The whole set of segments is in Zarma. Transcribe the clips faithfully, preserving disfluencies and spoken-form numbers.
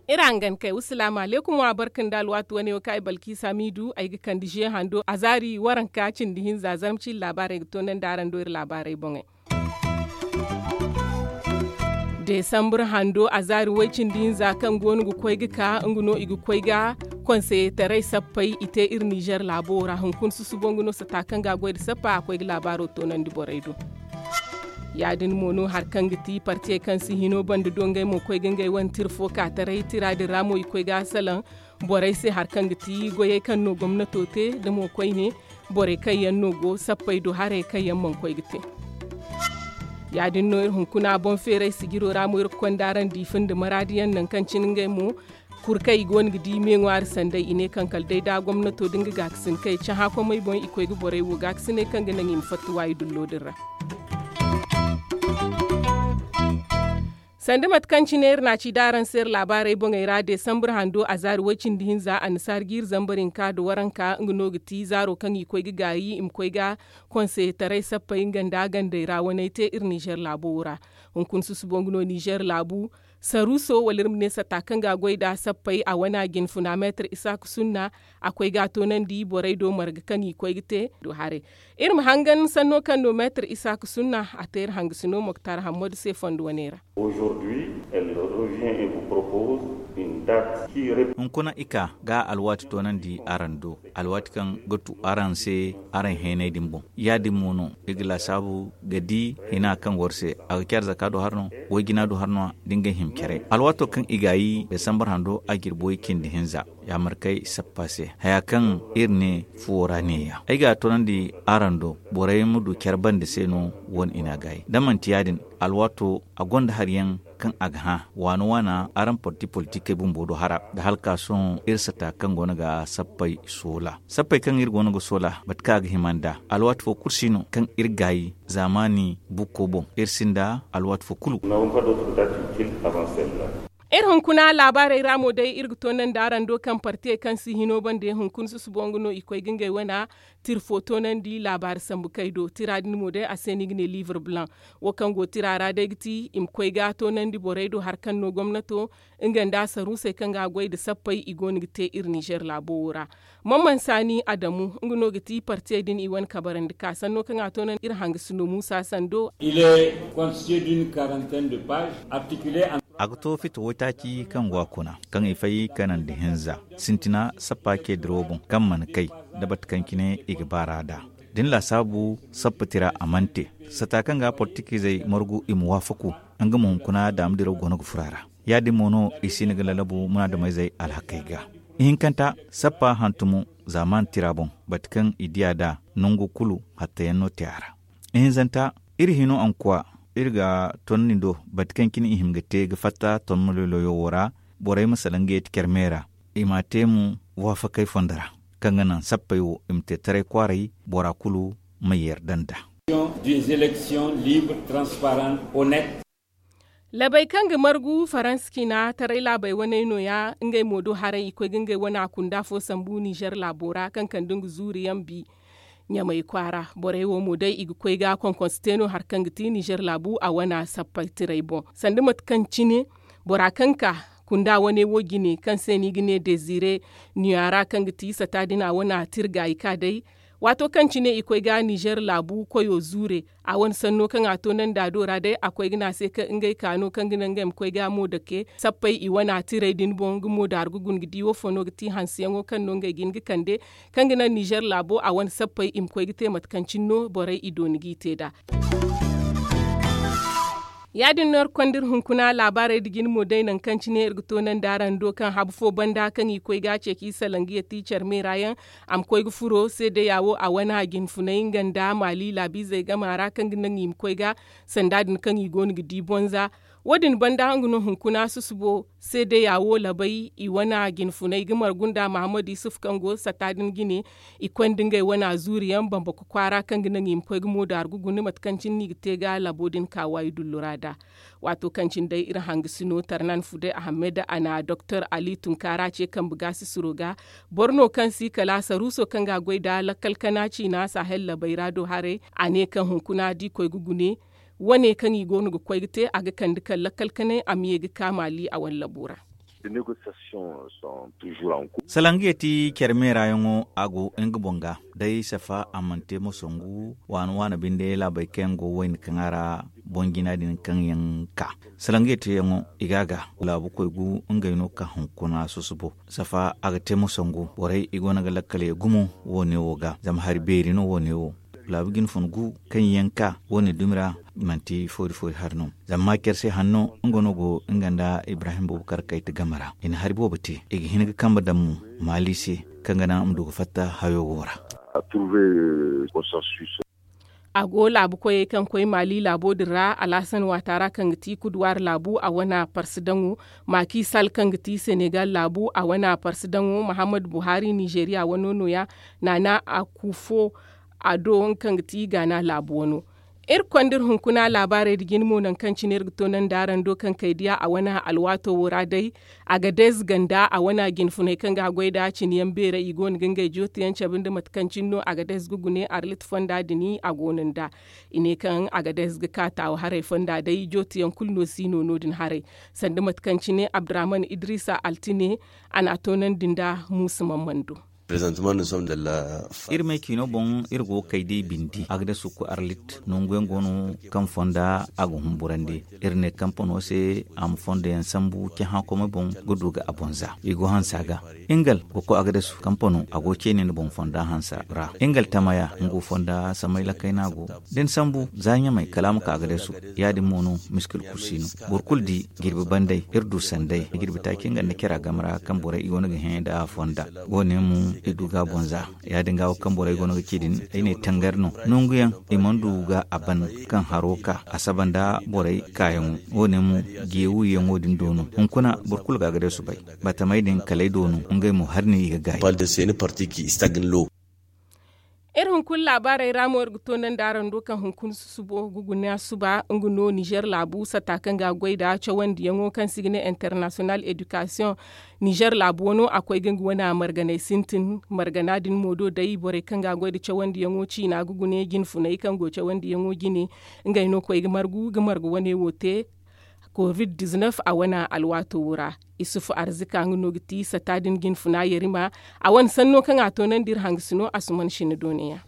Iri hangan kay wa salaamu alaykum wa barka nda alwaati wane wo kaŋ ay balkiisa m'i du ay ga kande ze hando azaari waranka cindi hinza zarma ciine laabaarey ga toonandi araŋ do iri laabaarey boŋey. Deesambur hando azaari way cindi hinza kaŋ go no ga koy ga ka nga no i ga koy ga konseyetaray sappey i te iri nizer laabo ra hunkuna susubo nga no sata kaŋ ga a goy nda sappa a koy ga laabaaro toonandi borey do. Ya- din mo no hari kaŋ ga ti partiyey kaŋ si hino banda do ngey mo koy ga ngey wane tira fo ka taray tira din ra mo i koy ga a salaŋ borey se hari kaŋ ga ti goyey kaŋ no gomnato te nda mo koyne borey kaŋ yaŋ no go sappey do haray kaŋ yaŋ mana koy ga te. Ya- din no iri hunkuna boŋ feeray sijiro ra mo iri ga konda araŋ diifa nda maraadi yaŋ nangu kaŋ cine ngey mo kuri kaŋ i go no ga di me ŋwaari sanday i ne kaŋ kala day da gomnato da nga gaakasin kaŋ i cahã komey boŋ i koy ga borey wo gaakasiney kaŋ ga naŋ i ma fatta waayi dullo din ra. Sanda mate kaŋ cine iri na a ci da araŋ se iri laabaarey boŋey ra deesambur hando azaari way-cindi hinza annasaari jiiri zambar hinka nda waranka nga no ga ti zaaro kaŋ i koy ga gaayi i ma koy ga konseyetaray sappey nga nda gandey ra waney te iri nizer laabo wo ra. Hunkuna susubo nga no nizer laabu saruuso wala iri ma ne sata kaŋ ga a goy nd'a sappey a wane a jine funa meetar isaaka sunna a koy ga a toonandi borey do marga kaŋ i koy ga te do haray. Iri ma hangan sanno kaŋ no meetar isaaka sunna a te iri hangasino moktar hammadu se fondo wane ra. Hunkuna i ka ga alwaati toonandi araŋ do alwaati kaŋ ga tu araŋ se araŋ heenay din boŋ. Ya- din mo no i ga laasaabu ga di hina kaŋ go iri se a ga care zaka du hari no, way-jina du hari no, da ngey hima care alwaato kaŋ i gaayi desambar hando a jirbo i cindi hinza. Ya markey sappa se haya kaŋ iri ne fuwo ra neeya ay ga a toonandi araŋ do borey ma du care bande se no. Wane i n'a gaayi da manti ya- din alwaato a gonda hari yaŋ kaŋ a ga hã waana waana araŋ parti politikey bumbo do hara nda hala ka sohõ iri sata kaŋ go no ga sappey soola sappey kaŋ iri go no ga soola mate kaŋ a ga hima nd'a alwaati fo kulu si no kaŋ iri gaayi zaamaani bukko boŋ iri sinda alwaati fo kulu. Iri hunkuna laabaarey ra mo day iri ga toonandi araŋ do kaŋ partiyey kaŋ si hino bande hunkuna susubo nga no i koy ga ngey wana tira fo toonandi laabaari sambu kay do tira din mo day a se no i ga ne livre blanc. Wo kaŋ go tira ra day ga ti i ma koy ga toonandi borey do hari kaŋ no gomnato nga nda saruusey kaŋ ga a goy nda sappey i go no ga te iri nizer laabo wo ra. Mamman saani adamu nga no ga ti partiyey din i wane kabarandi ka sanno kaŋ a toonandi iri hangasino muusa sando. A ga to fita waytaaci kaŋ go a kuna kaŋ i fay kanandi hinza sintina sappa ce dirawo boŋ kaŋ mana kay da bate kaŋ cine i ga baar'a nd'a. Da ni laasaabu sappa tira a mana te sata kaŋ ga portikizey margu i ma waafaku nga ma hunkuna daama diraw go no ga furo a ra. Ya- din mo no i si hin ga lalabu munaadameyzey alhakey ga. Ihinkanta sappa hantumo zaamaani tira boŋ bate kaŋ i di a nd'a nangu kulu hattayaŋ no te a ra. Ihinzanta iri hino ankuwa iri ga tonna ni do bate kaŋ cine i hima ga te ga fatta tonna loyloyo wo ra. Borey ma salaŋ ga yeeti care me ra i m'a te mo waafakey fondo ra kaŋ ga naŋ sappey wo i ma te taray kwaaray bora kulu ma yeeri daŋ nd'a. Labey kaŋ ga margu faransa cina taray laabey waney nooya ngey mo do haray i koy ga ngey wane a kunda fo sambu nizer laabo ra kaŋ kande nga zuuri yaŋ bi. Ɲamey kwaara borey wo mo day i ga koy ga konkonse te no hari kaŋ ga ti nizer laabu a wane a sappay tiray boŋ sanda mate kaŋ cine bora kaŋ ka kunda wane wo jine kaŋ se no i ga ne dezire nuya ra kaŋ ga ti sata din a wane a tira gaayi ka day. Waato kaŋ cine i koy ga nizer laabu koyo zuure a wane sanno kaŋ a toonandi a do ra day a koy ga ne a se kaŋ ngey ka no kaŋ ga naŋ ngey ma koy ga mo dake sappey i wane a tiray din boŋ nga mo daaru ga guna ga di wo fo no ga ti hanseyaŋo kaŋ no ngey ga hin ga kande kaŋ ga naŋ nizer laabo a wane sappey i ma koy ga te mate kaŋ cine no borey i dooni g'i te nd'a. Ya- din no iri konda iri hunkuna laabaarey nda jine mo day nangu kaŋ cine iri ga toonandi araŋ do kaŋ habu fo banda kaŋ i koy ga a ceeci salaŋ ga yatti care meera yaŋ a ma koy ga furo seedeya wo a wane a jine funay nga nda maali laabiizey game a ra kaŋ ga naŋ i ma koy ga sanda din kaŋ i go no ga di bonza. Wo- din banda nga no hunkuna susubo seedeya wo labay i wane jinfunay ga margu nda mahammad yusuf kaŋ go satta din jine. I konda ngey wane zuuriyaŋ bambako kwaara kaŋ ga naŋ i ma koy ga moodaari ga guna mate kaŋ cine no i ga te ga labo din ka waayi dullu ra nd'a. Waato kaŋ cine day iri hangasino tarnan fuday ahammed a na doktor ali tunkaara ce kambe gaasisiro ga. Boro no kaŋ si kala saruuso kaŋ ga a goy nd'a lakkal kana ciina sahel labay ra do haray. A ne kaŋ hunkuna da i koy ga gune wane kaŋ i go no ga koy ga te a ga kande kaŋ lakkal kanay a ma ye ga ka maali a wane labo ra. Salangiyeti care meerayaŋo a go nga boŋ ga day safa a mana te mo sangu waana waana binde laabey kaŋ yaŋ go wayna kaŋ a ra boŋ jina din kaŋ yaŋ ka salangiyeti yaŋo i ga a ga laabu koy gu ngey no ka hunkuna susubo safa a ga te mo sangu borey i go no ga lakkal ye gumo wo- ne wo ga zama hari beeri no wo- ne wo. Laabu jinfun gu kaŋ yaŋ ka wo- ne dumi ra manti foori foori hari no. Zama maacer se hanno nga no go nga nda ibrahim boobo kar kayta game ra i na hari boobo te i ga hin ga kambe daŋ mo maali se kaŋ ga naŋ a ma du ga fatta hayo wo ra. A go laabu koyey kaŋ koy maali laabo din ra alhasan waata ra kaŋ ga ti kuduwaari laabu a wane parsi daŋo. Maaki sal kaŋ ga ti senegal laabu a wane parsi daŋo mahammad buhari nizeriya wano no- ya naana a ku fo a do nga kaŋ ga ti gaana laabu wano. Iri konda iri hunkuna laabaarey nda jine mo nangu kaŋ cine iri ga toonandi araŋ do kaŋ kay diya a wane alwaato wo ra day. Agadez ganda a wane jinfuney kaŋ ga a goy nd'a cine yaŋ beerey i go no ga ngey jootiyaŋ cabe nda mate kaŋ cine no agadez ga gune arlit fonda din a go no nd'a. I ne kaŋ agadez ga ka taawa haray fonda day jootiyaŋ kulu no si no no- din haray. Sanda mate kaŋ cine abdurahman idrisa altine a n'a toonandi nda muusa mamman do. Iri me ciino boŋ iri go ga kay day bindi a ga day sukku arlit nangu yaŋ go no kaŋ fonda a ga humburandi. Iri ne kampano se a ma fondo yaŋ sambu cahã komey boŋ ga du ga a boŋ za i go hansa ga. Ingal ga koy a ga day su kampano a go ceene nda boŋ fonda hansa ra ingal tamaya nga go fonda samay lakay no a go. Da ni sambu za ɲamay kala a ma ka a ga day su. Ya- din mo no miskil kulu si no. Boro kulu di jirbi banday iri du sanday jirbi taaci nga nda cara game ra kaŋ borey i go no ga hẽ nda fonda. Wo- ne mo i du ga a boŋ za. Ya- din ga wo kaŋ borey go no ga ci din ay ne tangar no nangu yaŋ i mana du ga a ban kaŋ haro ka a saba nda borey kaayaŋo. Wo- ne mo jeewuyaŋo din do no hunkuna boro kulu ga a ga day su bay. Batamey din kala ay do no ngey mo hari no i ga gaayi. Iri hunkuna laabaarey ra mo iri ga toonandi araŋ do kaŋ hunkuna susubo ga guna suba nga no nizer laabu satta kaŋ ga a goy nd'a cawandiyaŋo kaŋ se i ga ne international education. Nizer laabu wano a koy ga nga wane marganey sintin margana din mo do day borey kaŋ ga a goy nda cawandiyaŋo ciina ga gune jinfuney kaŋ go cawandiyaŋo jine. Ngey no koy ga margu ga margu wane wo te. Covid-19 a wane alwaato wo ra. Isufu arzika nga no ga ti satta din jinfuna yarima. A wane sanno kaŋ a toonandi iri hangasino asuman sina dooneyaŋ.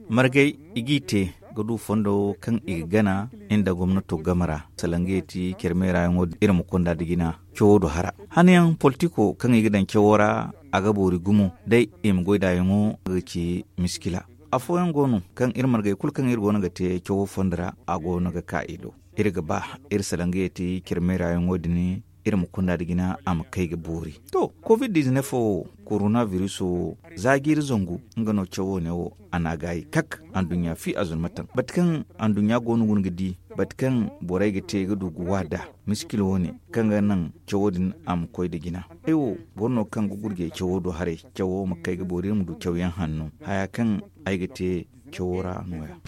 Margay i g'i te ga du fondo kaŋ i ga gana nda gomnato game ra. Salangey ti care meerayaŋo iri ma konda nda jina cawo do hara. Hanayaŋ politiko kaŋ i ga daŋ cawo ra a ga boori gumo day i ma goy nd'a yaŋo ga ci miskila. Afooyaŋ go no kaŋ iri margay kulu kaŋ iri go no ga te cawo fondo ra a go no ga ka i do. Iri ga ba iri salangey ti care meerayaŋo din iri ma kunda nda jina a ma kay ga boori. To covid-19 wo korona viruso za jiiri zangu nga no cawo ne wo a n'a gaayi kak. Anduɲɲa fi a zunmataŋ bate kaŋ anduɲɲa go no guna ga di bate kaŋ borey ga te ga du ga wa nd'a miskil wo- ne kaŋ ga naŋ cawo din a ma koy nda jina. Ay wo boro no kaŋ ga gurjay cawo do haray. Cawo ma kay ga boori iri ma du cawyaŋ hanno haya kaŋ ay ga te cawo ra no- ya.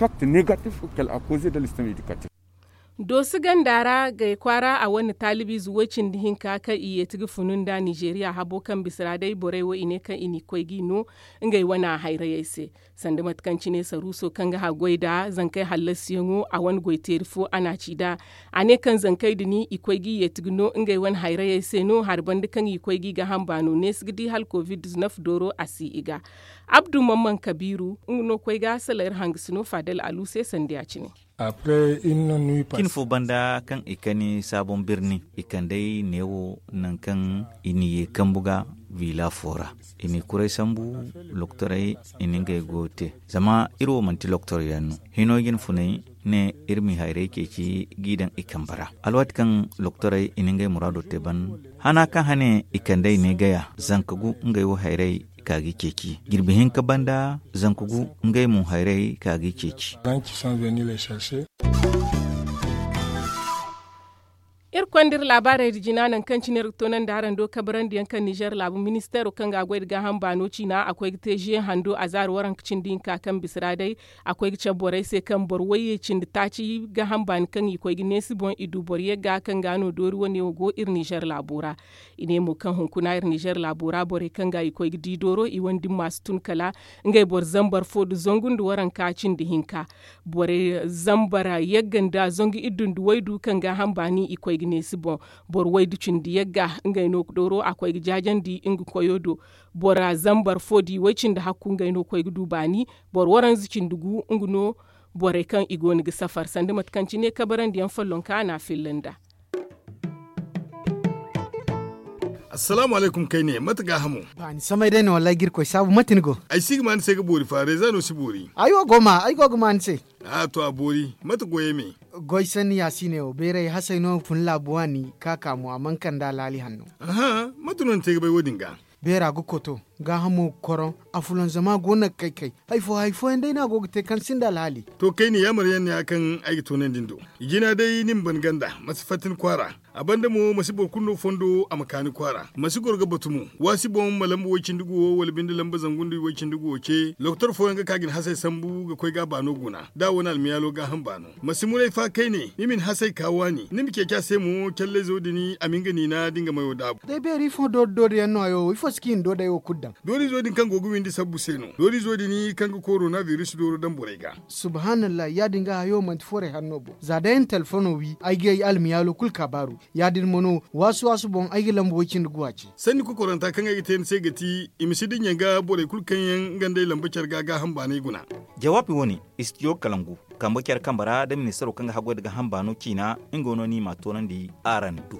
Doosi ganda ra gay kwaara a wane taalibiize woy-cindi hinka kaŋ i yeeti ga funu nda nizeeriya habo kaŋ bisa ra day borey wo i ne kaŋ i n'i koy g'i no ngey wane hayrayey se. Sanda mate kaŋ cine saruuso kaŋ ga haggoy nda zankey hallasiyaŋo a wane goy-teeri fo a n'a ci nd'a. A ne kaŋ zankey din i koy g'i yeeti ga no ngey wane hayrayey se no hari banda kaŋ i koy g'i ga hamba no neesi ga di hala covid-19 dooro a si i ga. Abdu mamman kabiiru nga no koy ga salayer hangasino fadel alu se sanda ya- cine. Cin fo banda kaŋ i kani saabon birni i kand'ey neewo nangu kaŋ i n'i ye kambu ga viila fo ra. I n'i kuray sambu loktorey i na ngey goyo te. Zama iri wo manti loktor yaŋ no hino jinfuney ne iri m'i hayrey ceeci g'i daŋ i kambe ra. Alwaati kaŋ loktorey i na ngey muraado te ban hana kaŋ hane i kand'ey ne gaya zanka gu ngey wo hayrey ka g'i ceeci jirbi hinka banda zanka gu ngey mo hayrey ka g'i ceeci. Konda iri laabaarey da jina nangu kaŋ cine iri ga toonandi araŋ do kabarandi yaŋ kaŋ nizeer laabu ministeero kaŋ ga a goy nda gaaham baano ciina a koy ga te ze hando a zaari waranka cindi hinka kaŋ bisa ra day. A koy ga cabe borey se kaŋ boro wayye cindi taaci gaaham baani kaŋ i koy ga neesi boŋ i du boro yagga kaŋ ga no doori wane wo go iri nizeer laabo ra. I ne mo kaŋ hunkuna iri nizeer laabo ra borey kaŋ ga i koy ga di dooro i wane dimma si tun kala ngey boro zambar fo nda zangu nda waranka cindi hinka. Borey zambar yagga nda zangu iddu nda waydu kaŋ gaaham baani i koy ga neesi boŋ. Boro waydu cindi yagga ngey no dooro a koy ga jaajandi nga koyo do. Bora zambar fo da i way cindi hakku ngey no koy ga du baani. Boro waranza cindi gu nga no borey kaŋ i go no ga safar sanda mate kaŋ cine kabarandi yaŋ follonka a na a filla nd'a. Assalaamu alaykum kayne mate gaahamo? Ba ni samay day no wallaahi ga irkoy saabu mate ni go? Ay si ga ma ni se ga boori fa reeza no si boori. Ay wo go ma ay go ga ma ni se. A to a boori mate goyey me? Goy sanni ya si ne wo beeray hasay no fun laabu waani ka ka mo a mana kande alhaali hanno. Aha, mate no ni te ga bay wo- din ga? Beera ga koto gaahamo ga koroŋ. Afulanzama go no ga kay kay. Hari fo hari fooyaŋ day no a go ga te kaŋ sinda alhaali. To kayne yaamar yaŋ ne ya kaŋ ay ga toonandi ni do. I jina day ni ma ban ganda ma si fatta ni kwaara. A banda mo ma si boro kulu no fondo a ma ka ni kwaara ma si goro ga batu mo. Waasi boŋ ma lamba woy-cindi-gu wo wala binde lamba zangu nda woy-cindi-gu wo ce lokotor fooyaŋ ga ka ga ni hasay sambu ga koy ga a baano guna da a wane almiyaalo gaaham baano. Ma si muray fa kayne ni ma ni hasay ka waani ni ma ceeci a se mo callayzo din a ma hin ga niina da nga mayo daabu. Day beeri ifo doori doori yaŋ no hayo wo ifo si kaŋ i na doodey wo kulu daŋ? Doorizo din kaŋ go ga windi sabbu se no doorizo din kaŋ ga korona biris dooro daŋ borey ga. Subhaanallahi ya- din ga hayo manti foray hanno boŋ za day ay na telefono wi ay ga ay almiyaalo kulu kaabaaru. Ya- din mo no waasu waasu boŋ ay ga lamba woy-cindi-gu a ce. Sanni kokoranta kaŋ ay ga te ni se ga ti i ma si dinya ga borey kulu kaŋ yaŋ nga nd'ey lamba care ga gaaham baanay guna. Jawaabi wo- ne, istijo kalangu kambe care kambe ra da ministaro kaŋ ga haggoy nda gaaham baano ciina. Nga wo no no i m'a toonandi araŋ do.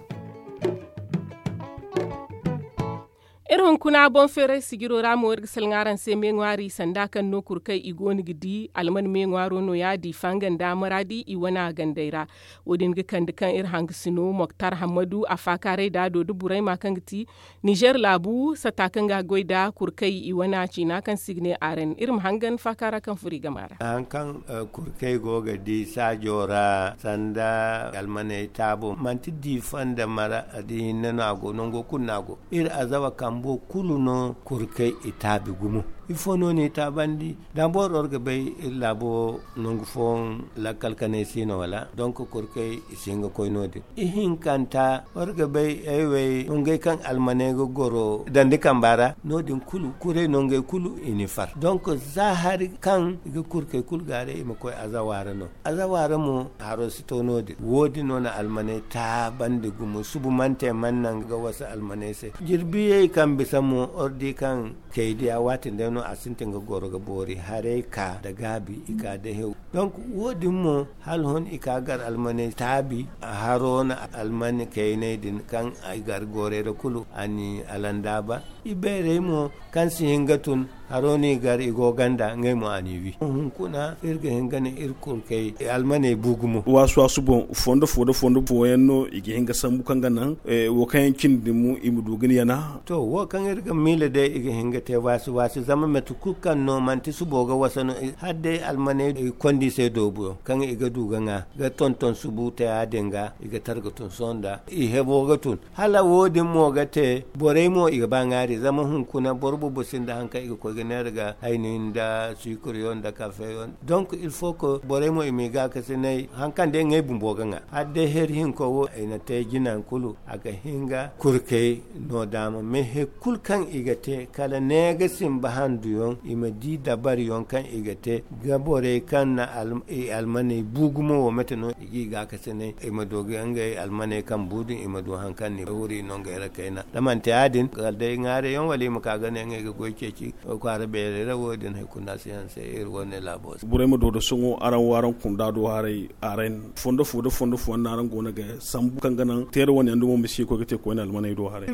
Iri hunkuna boŋ feeray sijiro ra mo iri ga salaŋ araŋ se me ŋwaari sanda kaŋ no kurkey i go no ga di alman me ŋwaaro no- ya diifa nga nda maraadi i wane a gandey ra. Wo- din ga kande kaŋ iri hangasino moktar hammadu a faakaaray da a do da burayma kaŋ ga ti nizeer laabu sata kaŋ ga a goy nda kurkey i wane a ciina kaŋ se i ga ne aren iri ma hangan faakaara kaŋ furo i game ra. Hari kaŋ kurkey go ga di saajo ra sanda almaney taabo manti diifa nda mara da hinne no a go nango kulu no a go. Iri azawa kambo kulu no kurkey i taabi gumo. Ifo no no i taabandi? Dambor iri ga bay iri laabo nangu fooyaŋ lakkal kanay si no wala donk kurkey i si hin ga koy no- din. Ihinkanta iri ga bay ay wey nongey kaŋ almaney ga goro dandi kamba ra no- din kulu kuray nongey kulu i n'i far donk za hari kaŋ i ga kurkey kulu gaaray i ma koy azawa ra no. Azawa ra mo haro si to no- din wo- din no na almaney taabandi gumo subu mana te mana naŋ ga wasa almaney se. Jirbiyey kaŋ bisa mo iri di kaŋ kay diya waati nda no a sintin ga goro ga boori haray ka nda gaabi i ka da hew. Donk wo- din mo hala hon i ka gar almaney taabi haro na almani kayney din kaŋ i gar goorey ra kulu a n'i alandaaba. Ibeerey mo kaŋ si hin ga tun haro no i gar i go ganda ngey mo a n'i wi hunkuna iri ga hin ga ne iri kurkey almaney bu gumo. Waasu waasu boŋ fondo fo nda fondo fooyaŋ no i ga hin ga sambu kaŋ ga naŋ wo kaŋ yaŋ cindi din mo i ma du ga ni yana. To wo kaŋ iri ga miila day i ga hin ga te waasi waasi zama mate kulu kaŋ no manti subo ga wasa no hala day almaney i kondi i se doobuyaŋ kaŋ i ga du ga ŋwa ga tonton subu te ya- din ga i ga targa tun sohõ nda i hebo ga tun. Hala wo- din mo ga te borey mo i ga ba ŋwaari zama hunkuna boro boobo sinda hari kaŋ i ga koy ga neera ga hayni nda suukariyaŋ nda kafeyaŋ. Donk il faut que borey mo i m'i gaakasinay hari kaŋ day ngey bumbo ga ŋwa hala day heri hinko wo i na te jina kulu a ga hin ga kurkey no daama mais hari kulu kaŋ i ga te kala ne ga simba handuyaŋ i ma di dabariyaŋ kaŋ i ga te ga borey kaŋ na i almaney bu gumo wo mate no i g'i gaakasinay i ma du ga ngey almaney kaŋ bu din i ma du hari kaŋ ni wuri no ngey ra kayna da manti ya- din kala day ŋwaarey yaŋ wala i ma ka ga ne ngey ga goy ceeci kwaara beerey ra wo- din hari kulu no a si hanse iri wane laabo se. Borey ma doodo sohõ araŋ wo araŋ kunda do haray araŋ fondo fo nda fondo fooyaŋ no araŋ go no ga sambu kaŋ ga naŋ teera wane yaŋ dumo ma si koy ga te koyne almaney do haray.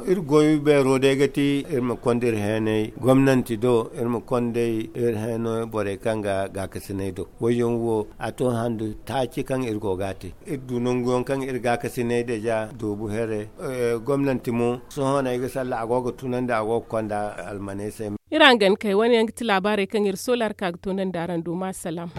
Iri goy beero day ga ti iri ma konda iri heenay gomnanti do iri ma konda iri heenay borey kaŋ ga gaakasinay do wayyaŋ wo a to handu taaci kaŋ iri go ga a te. Iri du nanguyaŋ kaŋ iri gaakasinay deja doobu here gomnanti mo sohõ no ay ga salla a go ga tunandi a go ga konda almaney se. Iri hangan kay wane yaŋ ga ti laabaarey kaŋ iri soola iri ka ga toonandi araŋ do ma salaam.